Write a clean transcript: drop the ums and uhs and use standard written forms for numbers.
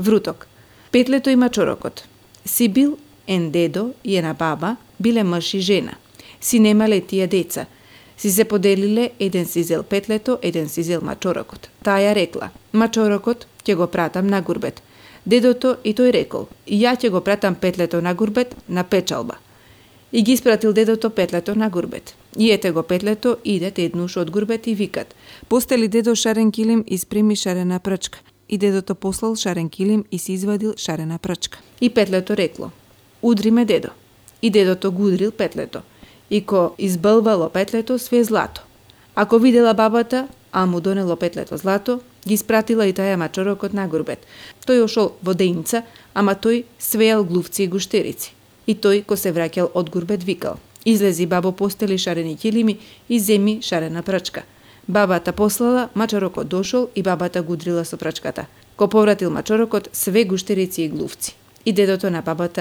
Вруток. Петлето и мачорокот. Си бил ен дедо и една баба, биле мъж и жена. Си немале тие деца. Си се поделиле, еден си зел петлето, еден си зел мачорокот. Таја рекла: мачорокот ќе го пратам на гурбет. Дедото и тој рекол: ја ќе го пратам петлето на гурбет на печалба. И ги испратил дедото петлето на гурбет. И ете го петлето, идет еднуш од гурбет и викат: постели дедо шарен килим и спреми шарена прчка. И дедото послал шарен килим и си извадил шарена прчка. И петлето рекло: удри ме, дедо. И дедото го удрил петлето. И ко избълвало петлето све злато. Ако видела бабата, а му донело петлето злато, ги спратила и таја мачорокот на гурбет. Тој ошол во дејнца, ама тој свејал глувци и гуштерици. И тој, ко се враќал од гурбет, викал: излези, бабо, постели шарени килими и земи шарена прчка. Бабата послала, мачорокот дошол и бабата го удрила со прчката. Ко повратил мачорокот, све гуштерици и глувци. И дедото на бабата